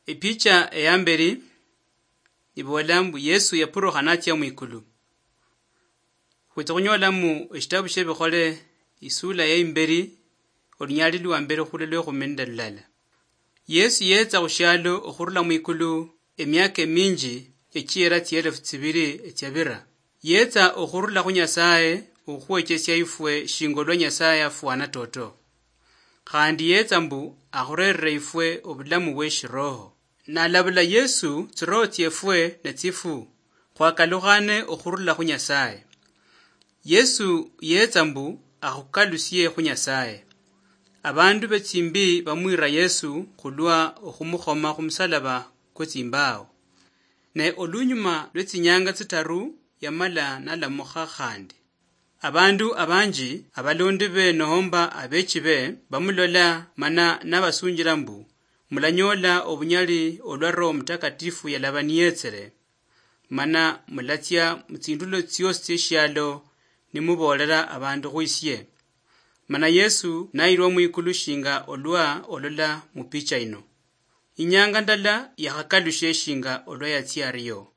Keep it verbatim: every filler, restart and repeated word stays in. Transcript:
Epicha eyamberi ibola mbu Yesu yapurukha natsia mwikulu. Khwitsa khunyolamu eshitabu shiebikhole, isula yeimberi, olunyali lwa mberi khulwe lwekhumi nende lulala. Yesu yetsa khushialo okhurula mwikulu emiaka eminji echiera tsielefu tsibiri etsiabira. Yetsa okhurula khu Nyasaye okhukhwechesia ifwe shinga olwa Nyasaye afwana toto. Khandi yetsa mbu akhurerere ifwe obulamu bweshiroho. Nalabula Yesu, tsiroho tsiefwe netsifu, khwakalukhane okhurula khu Nyasaye. Yesu yetsa mbu akhukalusie khu Nyasaye. Abandu betsimbi bamwira Yesu khulwa okhumukhoma khumusalaba kwetsimbawo. Ne olunyuma lwetsinyanga tsitaru yamala nalamukha khandi. Abandu abanji, abalondi be nohomba abechi be, bamulola mana nabasunjila mbu, "Mulanyola obunyali olwa Roho Mutakatifu yalaba niyetsele, mana mulatsia mutsindulo tsiosi tsieshialo nimuboolera abandu khwisie." Mana Yesu nayirwa mwikulu shinga olwa olola mupicha ino. Inyanga ndala yakhakalushe shinga olwa yatsia ario.